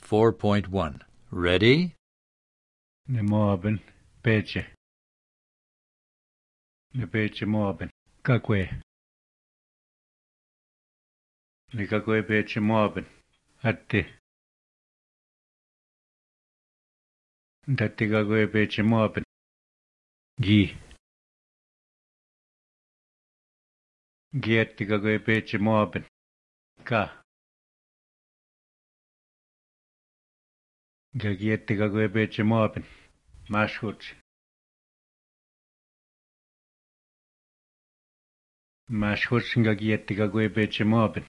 4.1. Ready? Ne Moabin, Peche. Ne Peche Moabin. Kakwe. Ne Kakwe Peche Moabin. Atti. Datti Kakwe Peche Moabin. Gi. Giatti Kakwe Peche Moabin. Ka. Giatti Kakwe Peche Moabin. Mashhuch. Mashhuch Giatti Kakwe Peche Moabin.